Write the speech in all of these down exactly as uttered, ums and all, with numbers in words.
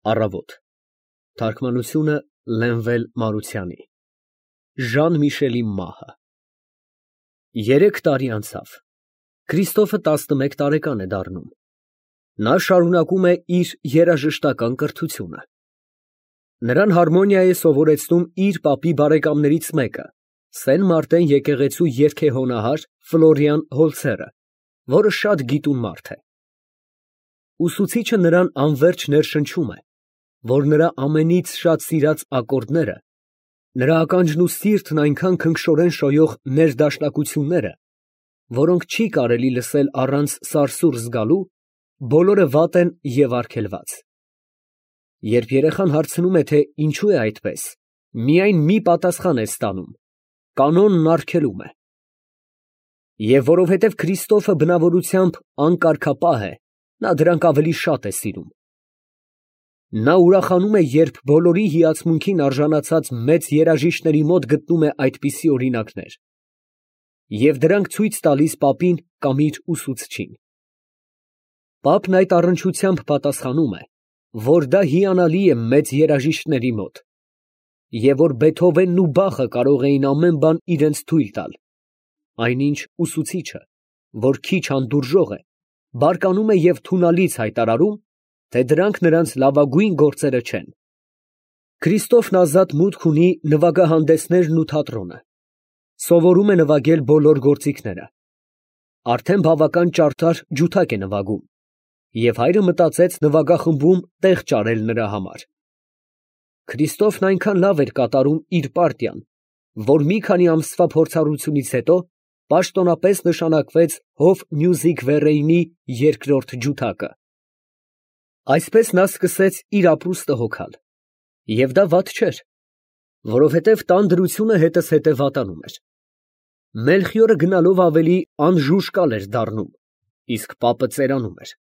Առավոտ։ Թարգմանությունը Լենվել Մարությանի։ Ժան-Միշելի մահը։ Երեք տարի անցավ։ Քրիստոֆը տասնմեկ տարեկան է դառնում։ Նա շարունակում է իր երաժշտական կրթությունը։ Նրան հարմոնիա է սովորեցնում իր պապի բարեկամներից մեկը, Սեն Մարտեն եկեղեցու երգեհոնահար Ֆլորիան Հոլցերը, որը շատ գիտուն մարդ է։ Ուսուցիչը նրան անվերջ ներշնչում է, որ նրա ամենից շատ սիրած ակորդները, նրա ականջն ու սիրտն այնքան քնքշորեն շոյող ներդաշնակությունները, որոնք չի կարելի լսել առանց սարսուռ զգալու, բոլորը վատ են և արգելված։ Երբ երեխան հարցնում է, թե ինչու է այդպես, միայն մի պատասխան է ստանում. կանոնն արգելում է։ Եվ որովհետև Քրիստոֆը բնավորությամբ անկարգապահ է, նա դրանք ավելի շատ է սիրում։ Նա ուրախանում է, երբ բոլորի հիացմունքին արժանացած մեծ երաժիշտների մոտ գտնում է այդպիսի օրինակներ, և դրանք ցույց տալիս պապին կամ իր ուսուցչին։ Պապն այդ առնչությամբ պատասխանում է, որ դա հիանալի է մեծ երաժիշտների մոտ, և որ Բեթհովենն ու Բախը կարող էին ամեն բան իրենց թույլ տալ, այնինչ ուսուցիչը, որ քիչ հանդուրժող է, բարկանում է և թունալից հայտարարում, թե դրանք նրանց լավագույն գործերը չեն։ Քրիստոֆն ազատ մուտք ունի նվագահանդեսներն ու թատրոնը, սովորում է նվագել բոլոր գործիքները, արդեն բավական ճարդար ջութակ է նվագում, և հայրը մտածեց նվագախմբում տեղ ճարել նրա համար։ Քրիստոֆն այնքան լավ էր կատարում իր պարտիան, որ մի քանի ամսվա փորձառությունից հետո պաշտոնապես նշանակվեց Հոֆ Մյուզիկ Վերեյնի երկրորդ ջութակը։ Այսպես նա սկսեց իր ապրուստը հոգալ, և դա վատ չէր, որովհետև տան դրությունը հետզհետե վատանում էր։ Մելխիորը գնալով ավելի անժուժկալ էր դառնում, իսկ պապը ծերանում էր։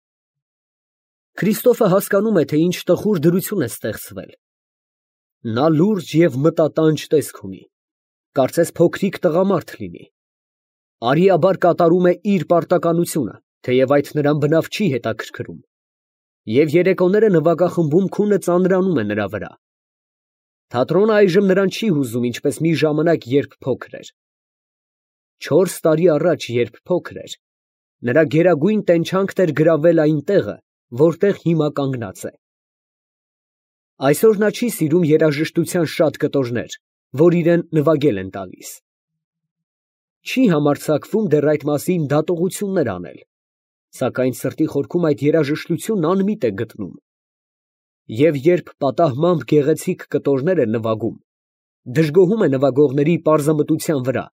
Քրիստոֆը հասկանում է, թե ինչ տխուր դրություն է ստեղծվել։ Նա լուրջ և մտատանջ տեսք ունի, կարծես փոքրիկ տղամարդ լինի։ Արիաբար կատարում է իր պարտականությունը, թեև այդ նրան բնավ չի հետաքրքրում, և երեկոները նվագախմբում քունը ծանրանում է նրա վրա։ Թատրոնը այժմ նրան չի հուզում, ինչպես մի ժամանակ, երբ փոքր էր։ Չորս տարի առաջ, երբ փոքր էր, նրա գերագույն տենչանքն էր գրավել այն տեղը, որտեղ հիմա կանգնած է։ Այսօր նա չի սիրում երաժշտության շատ կտորներ, որ իրան նվագել են տալիս։ Չի համարձակվում դեռ այդ մասին դատողություններ անել, սակայն սրտի խորքում այդ երաժշտությունն անմիտ է գտնում։ Եվ երբ պատահմամբ գեղեցիկ կտորներ է նվագում, դժգոհում է նվագողների պարզամտության վրա։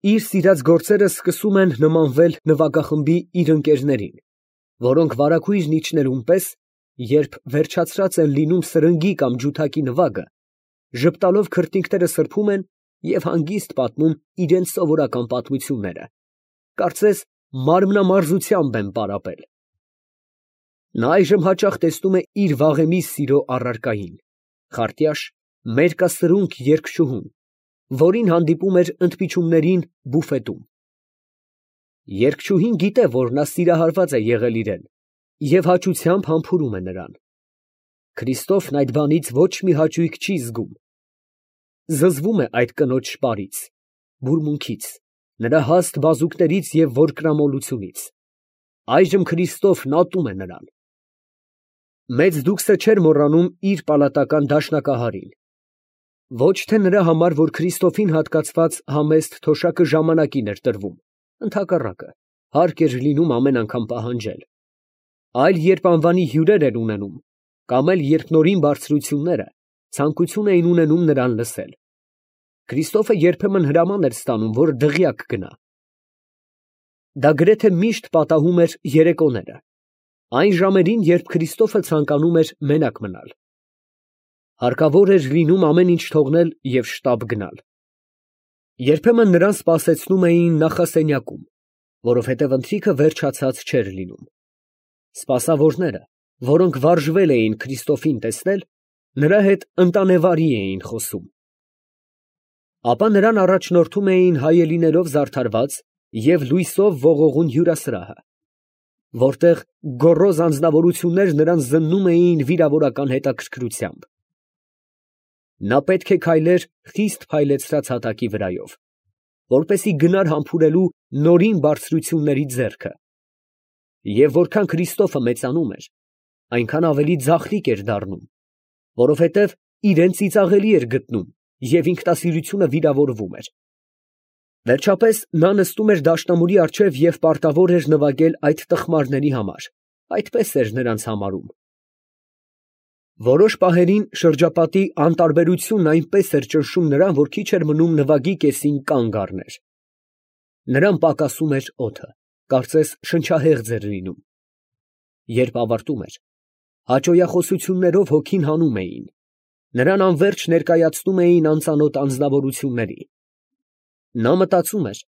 Իր սիրած գործերը սկսում են նմանվել նվագախմբի իր ընկերներին, որոնք վարագույրն իջնելուն պես, երբ վերջացրած են լինում սրնգի կամ ջութակի նվագը, ժպտալով քրտինքները սրբում են և հանգիստ պատմում իրենց սովորական պատմությունները, կարծես մարմնամարզությամբ են պարապել։ Նա այժմ հաճախ տեսնում է իր վաղեմի սիրո առարկային, խարտյաշ, մերկասրունք երգչուհուն, որին հանդիպում էր ընդմիջումներին բուֆետում։ Երգչուհին գիտե, որ նա սիրահարված է եղել իրան, և հաճությամբ համբուրում է նրան։ Քրիստոֆն այդ բանից ոչ մի հաճույք չի զգում։ Զզվում է այդ կնոջ շպարից, բուրմունքից, նրա հաստ բազուկներից և որկրամոլությունից։ Այժմ Քրիստոֆն ատում է նրան։ Մեծ դուքսը չէր մոռանում իր պալատական դաշնակահարին։ Ոչ թե նրա համար, որ Քրիստոֆին հատկացված համեստ թոշակը ժամանակին էր տրվում, ընդհակառակը, հարկ էր լինում ամեն անգամ պահանջել, այլ երբ անվանի հյուրեր էր ունենում, կամ էլ երբ նորին բարձրությունները ցանկություն էին ունենում նրան լսել։ Քրիստոֆը երբեմն հրաման էր ստանում, որ դղյակ գնա։ Դա գրեթե միշտ պատահում էր երեկոները, այն ժամերին, երբ Քրիստոֆը ցանկանում էր մենակ մնալ։ Հարկավոր էր լինում ամեն ինչ թողնել և շտապ գնալ։ Երբեմն նրան սպասեցնում էին նախասենյակում, որովհետև ընթրիքը վերջացած չէր լինում։ Սպասավորները, որոնք վարժվել էին Քրիստոֆին տեսնել, նրա հետ ընտանեվարի էին խոսում։ Ապա նրան առաջնորդում էին հայելիներով զարդարված և լույսով ողողուն հյուրասրահը, որտեղ գոռոզ անձնավորություններ նրան զննում էին վիրավորական հետաքրքրությամբ։ Նա պետք է քայլեր խիստ փայլեցրած հատակի վրայով, որպեսզի գնար համբուրելու նորին բարձրությունների ձեռքը։ Եվ որքան Քրիստոֆը մեծանում էր, այնքան ավելի ձախլիկ էր դառնում, որովհետև իրեն ծիծաղելի էր գտնում և ինքնասիրությունը վիրավորվում էր։ Վերջապես նա նստում էր դաշնամուրի առջև և պարտավոր էր նվագել այդ տխմարների համար, այդպես էր նրանց համարում։ Որոշ պահերին շրջապատի անտարբերությունն այնպես էր ճնշում նրան, որ քիչ էր մնում նվագի կեսին կանգ առներ։ Նրան պակասում էր օդը, կարծես շնչահեղձ էր լինում։ Երբ ավարտում էր, հաճոյախոսություններով հոգին հանում էին, նրան անվերջ ներկայացնում էին անծանոթ անձնավորությունների։ Նա մտածում էր,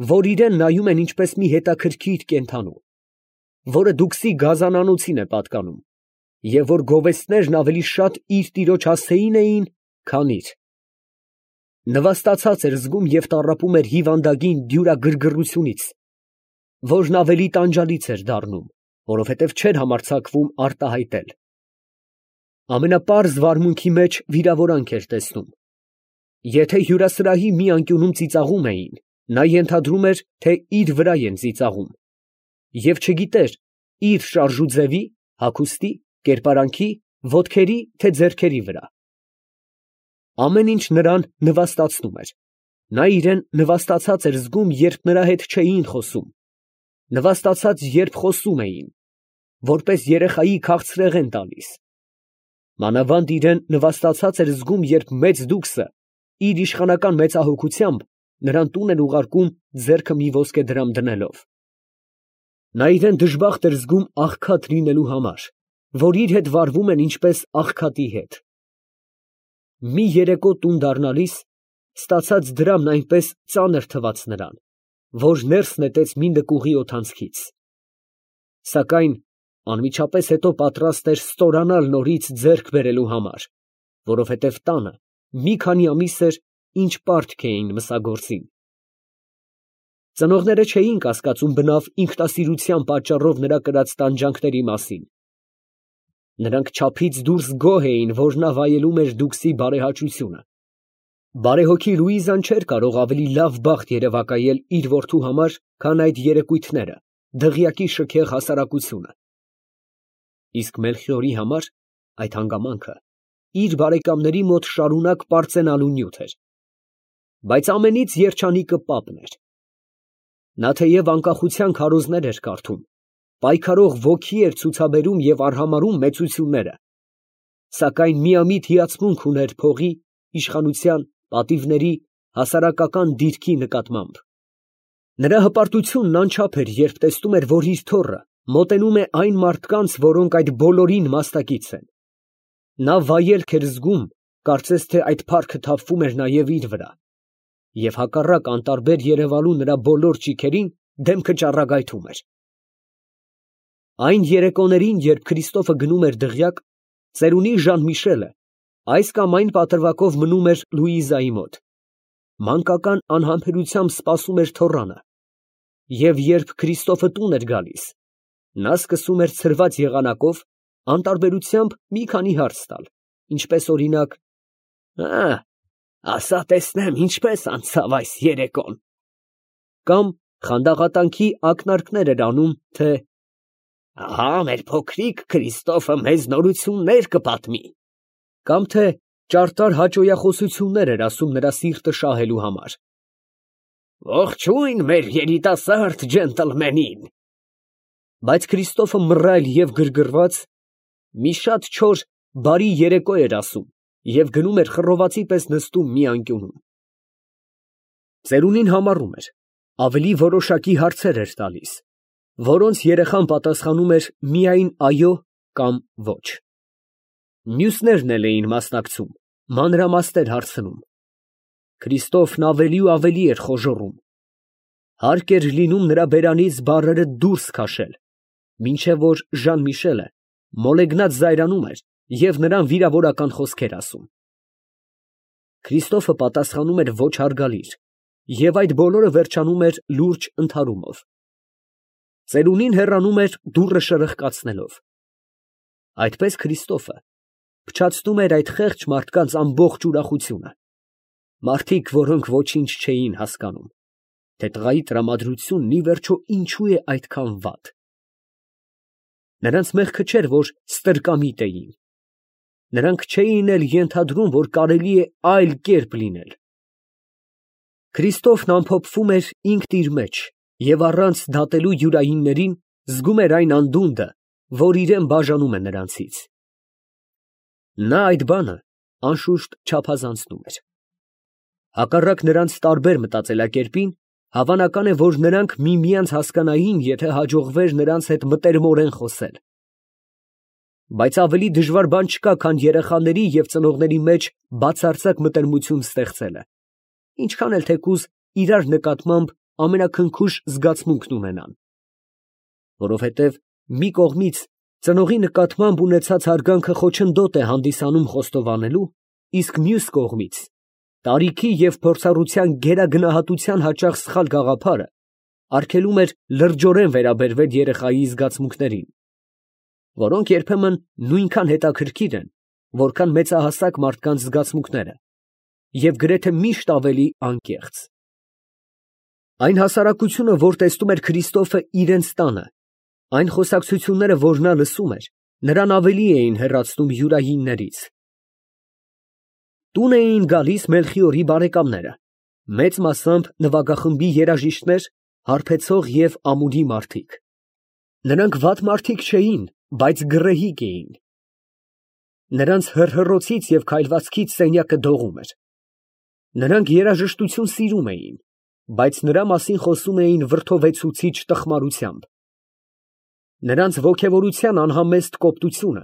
որ իրեն նայում են ինչպես մի հետաքրքիր կենդանու, որը դուքսի գազանանոցին է պատկանում, և որ գովեստներն ավելի շատ իր տիրոջ հասցեին էին, քան իր։ Նվաստացած էր զգում և տառապում էր հիվանդագին դյուրագրգռությունից, որն ավելի տանջալից էր դառնում, որովհետև չէր համարձակվում արտահայտել։ Ամենապարզ վարմունքի մեջ վիրավորանք էր տեսնում։ Եթե հյուրասրահի մի անկյունում ծիծաղում էին, նա ենթադրում էր, թե իր վրա են ծիծաղում, և չգիտեր իր շարժուձևի, հագուստի, կերպարանքի, ոտքերի, թե ձեռքերի վրա։ Ամեն ինչ նրան նվաստացնում էր. նա իրան նվաստացած էր զգում, երբ նրա հետ չէին խոսում, նվաստացած, երբ խոսում էին, որպես երեխայի քաղցրեղեն տալիս, մանավանդ իրան նվաստացած էր զգում, երբ մեծ դուքսը իր իշխանական մեծահոգությամբ նրան տուն էր ուղարկում ձեռքը մի ոսկեդրամ դնելով։ Նա իրան դժբախտ էր զգում աղքատ լինելու համար, որ իր հետ վարվում են ինչպես աղքատի հետ։ Մի երեկո տուն դառնալիս ստացած դրամն այնպես ծանր թվաց նրան, որ ներս նետեց մի նկուղի օդանցքից։ Սակայն անմիջապես հետո պատրաստ էր ստորանալ նորից ձեռք բերելու համար, որովհետև տանը մի քանի ամիս էր, ինչ պարտք էին մսագործին։ Ծնողները չէին կասկածում բնավ ինքնասիրության պատճառով նրա կրած տանջանքների մասին։ Նրանք չափից դուրս գոհ էին, որ նա վայելում էր դուքսի բարեհաճությունը։ Բարեհոգի Լուիզան չէր կարող ավելի լավ բախտ երևակայել իր որդու համար, քան այդ երեկույթները, դղյակի շքեղ հասարակությունը։ Իսկ Մելխիորի համար այդ հանգամանքը իր բարեկամների մոտ շարունակ պարծենալու նյութ էր։ Բայց ամենից երջանիկը պապն էր։ Նա թեև անկախության քարոզներ էր կարդում, պայքարող ոգի էր ցուցաբերում և արհամարհում մեծությունները, սակայն միամիտ հիացմունք ուներ փողի, իշխանության, պատիվների, հասարակական դիրքի նկատմամբ։ Նրա հպարտությունն անչափ էր, երբ տեսնում էր, որ իր թոռը մոտենում է այն մարդկանց, որոնք այդ բոլորին մասնակից են։ Նա վայելք էր զգում, կարծես թե այդ փառքը թափվում էր նաև իր վրա, և հակառակ անտարբեր երևալու նրա բոլոր ճիգերին դեմքը ճառագայթում էր։ Այն երեկոներին, երբ Քրիստոֆը գնում էր դղյակ, ծերունի Ժան֊Միշելը այս կամ այն պատրվակով մնում էր Լուիզայի մոտ, մանկական անհամբերությամբ սպասում էր թոռանը, և երբ Քրիստոֆը տուն էր գալիս, նա սկսում էր ցրված եղանակով անտարբերությամբ մի քանի հարց տալ, ինչպես օրինակ. «Ա, ասա տեսնեմ, ինչպես անցավ այս երեկոն», կամ խանդաղատանքի ակնարկներ էր անում, թե «Ահա մեր փոքրիկ Քրիստոֆը մեզ նորություններ կպատմի», կամ թե ճարտար հաճոյախոսություններ էր ասում նրա սիրտը շահելու համար։ «Ողջույն մեր երիտասարդ ջենտլմենին»։ Բայց Քրիստոֆը մռայլ և գրգռված մի շատ չոր բարի երեկո էր ասում և գնում էր խռովացի պես նստում մի անկյունում։ Ծերունին համառում էր, ավելի որոշակի հարցեր էր տալիս, որոնց երեխան պատասխանում էր միայն այո կամ ոչ։ Մյուսներն էլ էին մասնակցում, մանրամասներ հարցնում։ Քրիստոֆն ավելի ու ավելի էր խոժոռում։ Հարկ էր լինում նրա բերանից բառերը դուրս քաշել, մինչև որ Ժան֊Միշելը մոլեգնած զայրանում էր և նրան վիրավորական խոսքեր ասում։ Քրիստոֆը պատասխանում էր ոչ հարգալիր, և այդ բոլորը վերջանում էր լուրջ ընդհարումով։ ծերունին հեռանում էր դուռը շրխկացնելով։ Այդպես Քրիստոֆը փչացնում էր այդ խեղճ մարդկանց ամբողջ ուրախությունը, մարդիկ, որոնք ոչինչ չէին հասկանում, թե տղայի տրամադրությունն ի վերջո ինչու է այդքան վատ։ Նրանց մեղքը չէր, որ ստրկամիտ էին, նրանք չէին էլ ենթադրում, որ կարելի է այլ կերպ լինել։ Քրիստոֆն ամփոփվում էր ինքն իր մեջ և առանց դատելու յուրայիններին զգում էր այն անդունդը, որ իրան բաժանում է նրանցից։ Նա այդ բանը անշուշտ չափազանցնում էր։ Հակառակ նրանց տարբեր մտածելակերպին, հավանական է, որ նրանք միմյանց հասկանային, եթե հաջողվեր նրանց հետ մտերմորեն խոսել։ Բայց ավելի դժվար բան չկա, քան երեխաների և ծնողների մեջ բացարձակ մտերմություն ստեղծելը, ինչքան էլ թեկուզ իրար նկատմամբ ամենաքնքուշ զգացմունքն ունենան։ Որովհետև մի կողմից ծնողի նկատմամբ ունեցած հարգանքը խոչընդոտ է հանդիսանում խոստովանելու, իսկ մյուս կողմից տարիքի և փորձառության գերագնահատության հաճախ սխալ գաղափարը արգելում էր լրջորեն վերաբերվել երեխայի զգացմունքներին, որոնք երբեմն նույնքան հետաքրքիր են, որքան մեծահասակ մարդկանց զգացմունքները, և գրեթե միշտ ավելի անկեղծ։ Այն հասարակությունը, որ տեսնում էր Քրիստոֆը իրենց տանը, այն խոսակցությունները, որ նա լսում էր, նրան ավելի էին հեռացնում յուրայիններից։ Տուն էին գալիս Մելխիորի բարեկամները, մեծ մասամբ նվագախմբի երաժիշտներ, հարբեցող և ամուլի մարդիկ։ Նրանք վատ մարդիկ չէին, բայց գռեհիկ էին։ Նրանց հռհռոցից և քայլվածքից սենյակը դողում էր։ Նրանք երաժշտություն սիրում էին, բայց նրա մասին խոսում էին վրդովեցուցիչ տխմարությամբ։ Նրանց ոգևորության անհամեստ կոպտությունը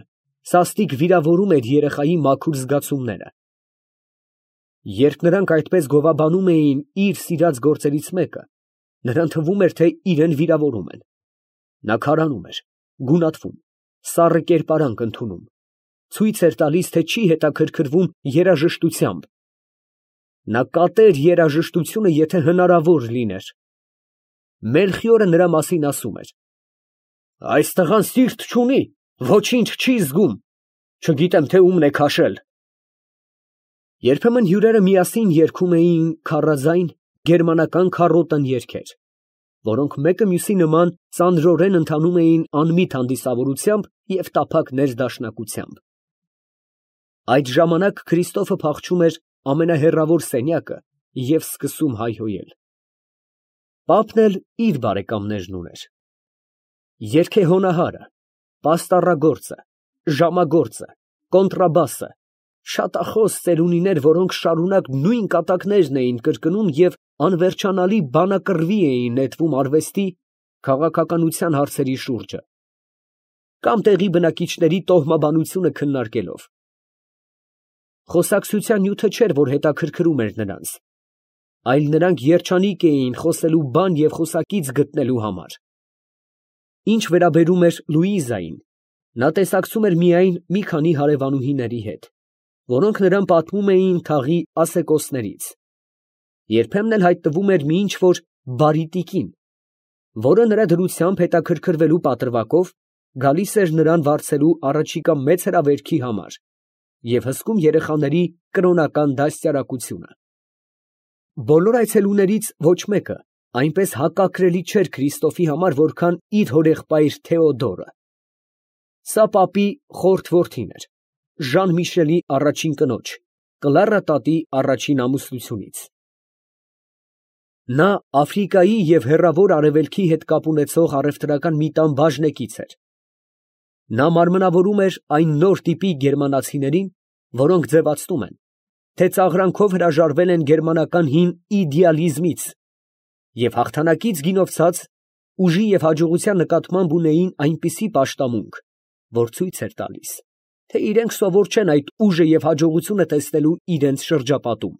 սաստիկ վիրավորում էր երեխայի մաքուր զգացումները։ Երբ նրանք այդպես գովաբանում էին իր սիրած գործերից մեկը, նրան թվում էր, թե իրան վիրավորում են։ Նա քարանում էր, գունատվում, սառը կերպարանք ընդունում, ցույց էր տալիս, թե չի հետաքրքրվում երաժշտությամբ։ Նա կատեր երաժշտությունը, եթե հնարավոր լիներ։ Մելխիորը նրա մասին ասում էր. «Այս տղան սիրտ չունի, ոչինչ չի զգում, չգիտեմ, թե ումն է քաշել»։ Երբեմն հյուրերը միասին երգում էին քառաձայն գերմանական քառոտն երգեր, որոնք մեկը մյուսի նման ծանրորեն ընթանում էին անմիտ հանդիսավորությամբ և տափակ ներդաշնակությամբ։ Այդ ժամանակ Քրիստոֆը փախչում էր ամենահեռավոր սենյակը և սկսում հայհոյել։ Պապն էլ իր բարեկամներն ուներ. երգեհոնահարը, պաստառագործը, ժամագործը, կոնտրաբասը, շատախոս ծերունիներ, որոնք շարունակ նույն կատակներն էին կրկնում և անվերջանալի բանակռվի էին նետվում արվեստի, քաղաքականության հարցերի շուրջը, կամ տեղի բնակիչների տոհմաբանությունը քննարկելով։ Խոսակցության նյութը չէր, որ հետաքրքրում էր նրանց, այլ նրանք երջանիկ էին խոսելու բան և խոսակից գտնելու համար։ Ինչ վերաբերում էր Լուիզային, նա տեսակցում էր միայն մի քանի հարևանուհիների հետ, որոնք նրան պատմում էին թաղի ասեկոսներից։ Երբեմն էլ հայտնվում էր մի ինչ֊որ բարի տիկին, որը նրա դրությամբ հետաքրքրվելու պատրվակով գալիս էր նրան վարձելու առաջիկա մեծ հրավերքի համար և հսկում երեխաների կրոնական դաստիարակությունը։ Բոլոր այցելուներից ոչ մեկը այնպես հակակրելի չէր Քրիստոֆի համար, որքան իր հորեղբայր Թեոդորը։ Սա պապի խորթ որդին էր, Ժան Միշելի առաջին կնոջ, Կլարա տատի առաջին ամուսնությունից։ Նա Աֆրիկայի և Հեռավոր Արևելքի հետ կապ ունեցող առևտրական մի տան բաժնեկից էր։ Նա մարմնավորում էր այն նոր տիպի գերմանացիներին, որոնք ձևացնում են, թե ծաղրանքով հրաժարվել են գերմանական հին իդեալիզմից և հաղթանակից գինովցած, ուժի և հաջողության նկատմամբ ունեին այնպիսի պաշտամունք, որ ցույց էր տալիս, թե իրենք սովոր չեն այդ ուժը և հաջողությունը տեսնելու իրենց շրջապատում։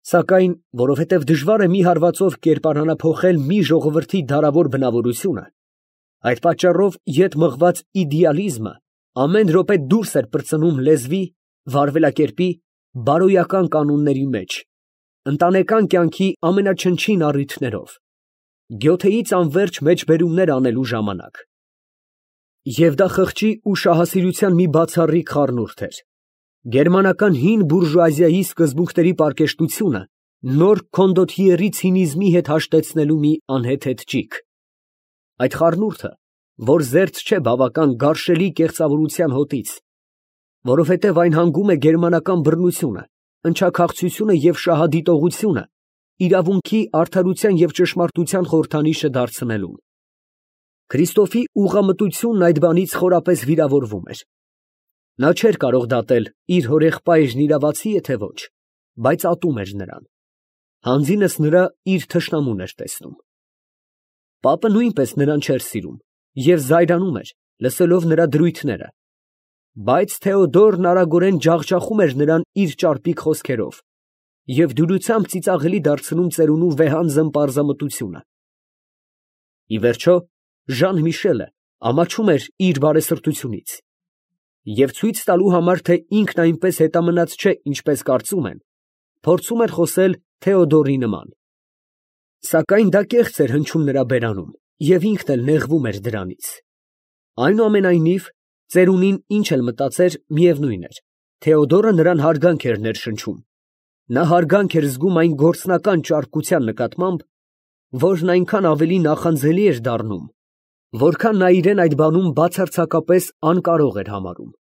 Սակայն, որովհետև դժվար է մի հարվածով կերպարանափոխել մի ժողովրդի դարավոր բնավորությունը, այդ պատճառով ետ մղված իդեալիզմը ամեն րոպե դուրս էր պրծնում լեզվի, վարվելակերպի, բարոյական կանոնների մեջ, ընտանեկան կյանքի ամենաչնչին առիթներով։ գյոթեից անվերջ մեջբերումներ անելու ժամանակ։ Եվ դա խղճի ու շահասիրության մի բացառիկ խառնուրդ էր։ Գերմանական հին բուրժուազիայի սկզբունքների պարկեշտությունը նոր քոնդոթիերի ցինիզմի հետ հաշտեցնելու մի անհեթեթ ճիգ։ Այդ խառնուրդը, որ զերծ չէ բավական գարշելի կեղծավորության հոտից, որովհետև այն հանգում է գերմանական բռնությունը, ընչաքաղցությունը և շահադիտողությունը իրավունքի, արդարության և ճշմարտության խորհրդանիշը դարձնելուն։ Քրիստոֆի ուղղամտությունն այդ բանից խորապես վիրավորվում էր։ Նա չէր կարող դատել իր հորեղբայրն իրավացի է, թե ոչ, բայց ատում էր նրան։ Հանձինս նրա իր թշնամուն էր տեսնում։ Պապը նույնպես նրան չէր սիրում և զայրանում էր, լսելով նրա դրույթները, բայց Թեոդորն արագորեն ջախջախում էր նրան իր ճարպիկ խոսքերով և դյուրությամբ ծիծաղելի դարձնում ծերունու վեհանձն պարզամտությունը։ Ի վերջո, Ժան Միշելը ամաչում էր իր բարեսրտությունից և ցույց տալու համար, թե ինքն այնպես հետամնաց չէ, ինչպես կարծում են, փորձում էր խոսել Թեոդորի նման։ Սակայն դա կեղծ էր հնչում նրա բերանում, և ինքն էլ նեղվում էր դրանից։ Այնուամենայնիվ, ծերունին ինչ էլ մտածեր, միևնույն էր, Թեոդորը նրան հարգանք էր ներշնչում, նա հարգանք էր զգում այն գործնական ճարպկության նկատմամբ, որն այնքան ավելի նախանձելի էր դառնում, որքան նա իրան այդ բանում բացարձակապես անկարող էր համարում։